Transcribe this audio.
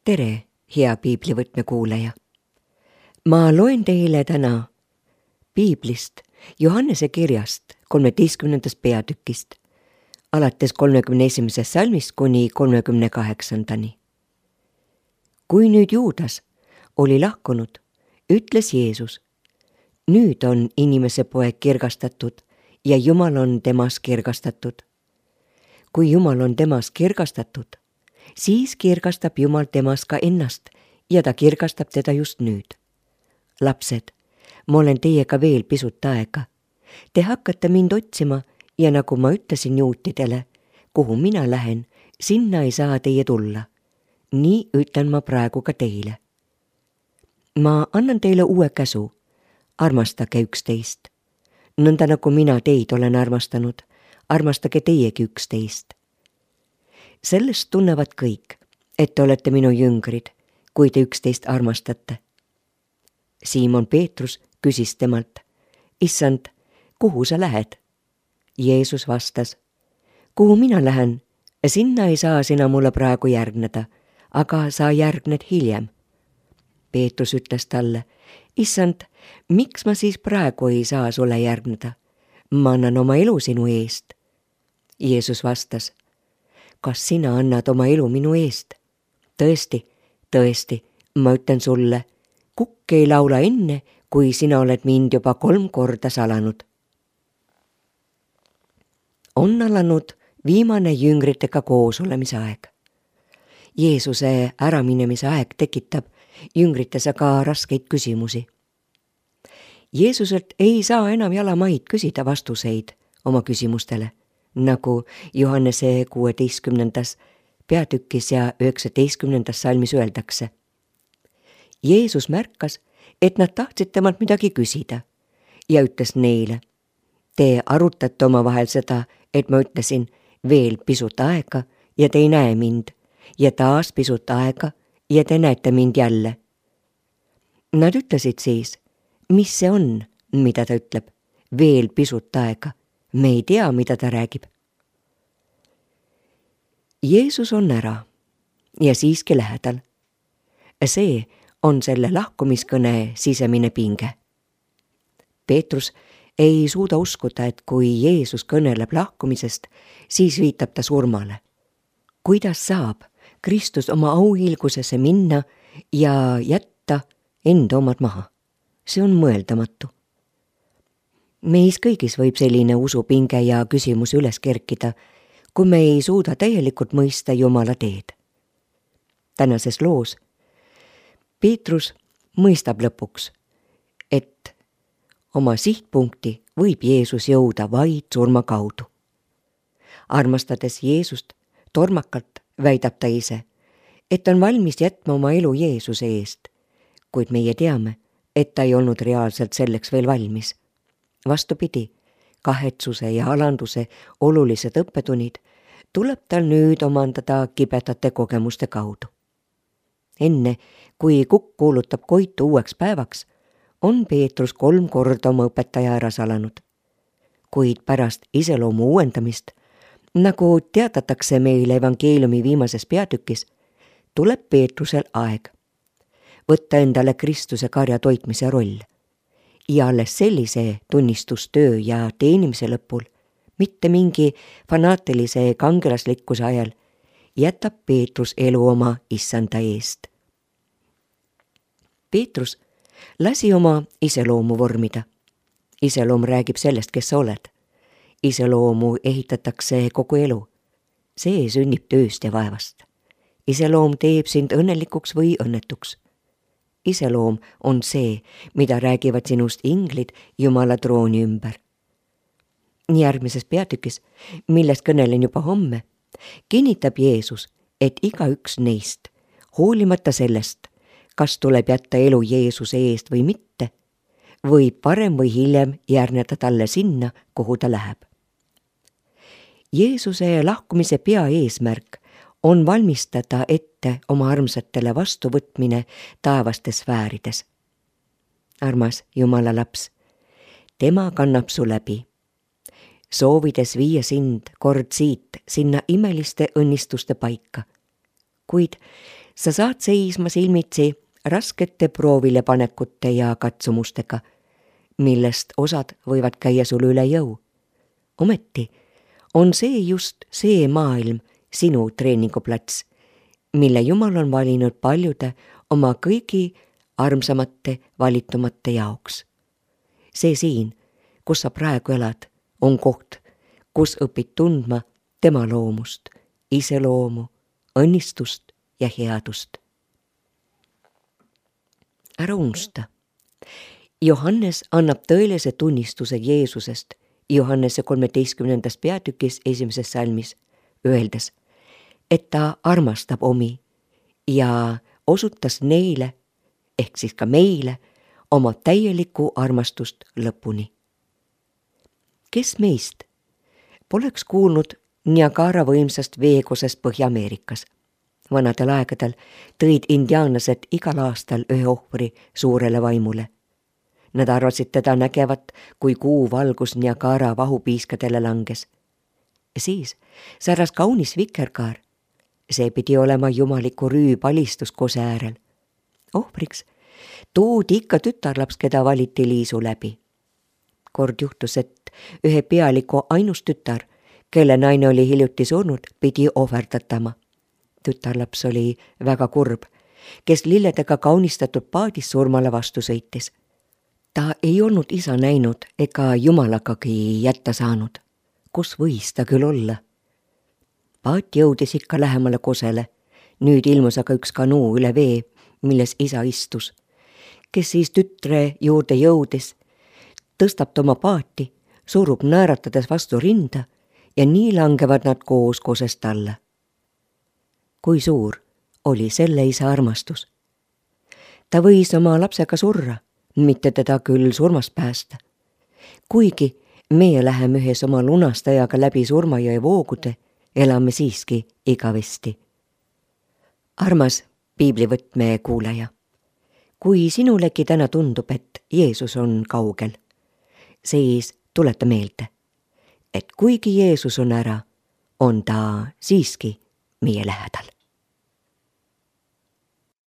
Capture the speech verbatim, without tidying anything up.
tere, hea piiblivõtme kuulaja! Ma loen teile täna piiblist Johannese kirjast kolmeteistkümnendast peatükist, alates kolmekümne esimesest salmist kuni kolmekümne kaheksandani. Kui nüüd Juudas oli lahkunud, ütles Jeesus, nüüd on inimese poeg kirgastatud ja Jumal on temas kirgastatud. Kui Jumal on temas kirgastatud, siis kirgastab Jumal temas ka ennast ja ta kirgastab teda just nüüd. Lapsed, ma olen teiega veel pisut aega. Te hakkate mind otsima ja nagu ma ütlesin juutidele, kuhu mina lähen, sinna ei saa teie tulla. Nii ütlen ma praegu ka teile. Ma annan teile uue käsu. Armastage üksteist. Nõnda nagu mina teid olen armastanud, armastage teiegi üksteist. Sellest tunnevad kõik, et te olete minu jüngrid, kui te üksteist armastate. Siimon Peetrus küsis temalt, Issand, kuhu sa lähed? Jeesus vastas, kuhu mina lähen, sinna ei saa sina mulle praegu järgneda, aga sa järgned hiljem. Peetrus ütles talle, Issand, miks ma siis praegu ei saa sulle järgneda? Ma annan oma elu sinu eest. Jeesus vastas, kas sina annad oma elu minu eest? Tõesti, tõesti, ma ütlen sulle, kukk ei laula enne, kui sina oled mind juba kolm korda salanud. On alanud viimane jüngritega koos olemise aeg. Jeesuse äraminemise aeg tekitab jüngrites aga raskeid küsimusi. Jeesuselt ei saa enam jalamaid küsida vastuseid oma küsimustele, nagu Johannese kuueteistkümnendas peatükis ja üheksateistkümnendas salmis öeldakse. Jeesus märkas, et nad tahtsid temalt midagi küsida ja ütles neile, te arutate omavahel seda, et ma ütlesin veel pisut aega ja te ei näe mind ja taas pisut aega ja te näete mind jälle. Nad ütlesid siis, mis see on, mida ta ütleb, veel pisut aega, me ei tea, mida ta räägib. Jeesus on ära ja siiski lähedal. See on selle lahkumiskõne sisemine pinge. Peetrus ei suuda uskuda, et kui Jeesus kõneleb lahkumisest, siis viitab ta surmale. Kuidas saab Kristus oma auhiilgusesse minna ja jätta enda omad maha? See on mõeldamatu. Meis kõigis võib selline usupinge ja küsimus üles kerkida, kui me ei suuda täielikult mõista Jumala teed. Tänases loos Peetrus mõistab lõpuks, et oma sihtpunkti võib Jeesus jõuda vaid surma kaudu. Armastades Jeesust tormakalt väidab ta ise, et on valmis jätma oma elu Jeesuse eest, kuid meie teame, et ta ei olnud reaalselt selleks veel valmis. Vastupidi, kahetsuse ja alanduse olulised õppetunnid tuleb tal nüüd omandada kibedate kogemuste kaudu. Enne, kui kukk kuulutab koitu uueks päevaks, on Peetrus kolm korda oma õpetaja ära salanud. Kuid pärast iseloomu uuendamist, nagu teatatakse meile evangeeliumi viimases peatükis, tuleb Peetrusel aeg võtta endale Kristuse karja toitmise roll ja alles sellise tunnistustöö ja teenimise lõpul, mitte mingi fanaatilise kangelaslikkuse ajal, jätab Peetrus elu oma issanda eest. Peetrus lasi oma iseloomu vormida. Iseloom räägib sellest, kes sa oled. Iseloomu ehitatakse kogu elu. See sünnib tööst ja vaevast. Iseloom teeb sind õnnelikuks või õnnetuks. Iseloom on see, mida räägivad sinust inglid Jumala trooni ümber. Järgmises peatükis, millest kõnelen juba homme, kinnitab Jeesus, et igaüks neist, hoolimata sellest, kas tuleb jätta elu Jeesuse eest või mitte, võib parem või hiljem järgneda talle sinna, kuhu ta läheb. Jeesuse lahkumise peaeesmärk on valmistada ette oma armsatele vastuvõtmine taevastes sfäärides. Armas Jumala laps, tema kannab su läbi, soovides viia sind kord siit sinna imeliste õnnistuste paika. Kuid sa saad seisma silmitsi raskete proovilepanekute ja katsumustega, millest osad võivad käia sul üle jõu. Ometi on see just see maailm sinu treeninguplats, mille Jumal on valinud paljude oma kõigi armsamate valitumate jaoks. See siin, kus sa praegu elad, on koht, kus õpid tundma tema loomust, iseloomu, õnnistust ja headust. Ära unusta. Johannes annab tõelise tunnistuse Jeesusest Johannese kolmeteistkümnendas peatükis esimeses salmis, öeldes, et ta armastab omi ja osutas neile, ehk siis ka meile, oma täielikku armastust lõpuni. Kes meist poleks kuulnud Niagara võimsast veekosest Põhja-Ameerikas? Vanadel aegadel tõid indiaanlased igal aastal ühe ohvri suurele vaimule. Nad arvasid teda nägevat, kui kuu valgus Niagara vahupiiskadele langes. Siis säras kaunis vikerkaar. See pidi olema jumaliku rüüpalistus kose äärel. Ohvriks toodi ikka tütarlaps, keda valiti liisu läbi. Kord juhtus, et ühe pealiku ainus tütar, kelle naine oli hiljuti surnud, pidi ohverdatama. Tütarlaps oli väga kurb, kes lilledega kaunistatud paadis surmale vastu sõitis. Ta ei olnud isa näinud ega jumalagagi jätta saanud. Kus võis ta küll olla? Paat jõudis ikka lähemale kosele. Nüüd ilmus aga üks kanuu üle vee, milles isa istus, kes siis tütre juurde jõudis, tõstab ta oma paati, surub naeratades vastu rinda ja nii langevad nad koos kosest alla. Kui suur oli selle isa armastus? Ta võis oma lapsega surra, mitte teda küll surmast päästa. Kuigi meie läheme ühes oma lunastajaga läbi surmajõe voogude, elame siiski igavesti. Armas piiblivõtme kuulaja, kui sinulegi täna tundub, et Jeesus on kaugel, siis tuleta meelde, et kuigi Jeesus on ära, on ta siiski meie lähedal.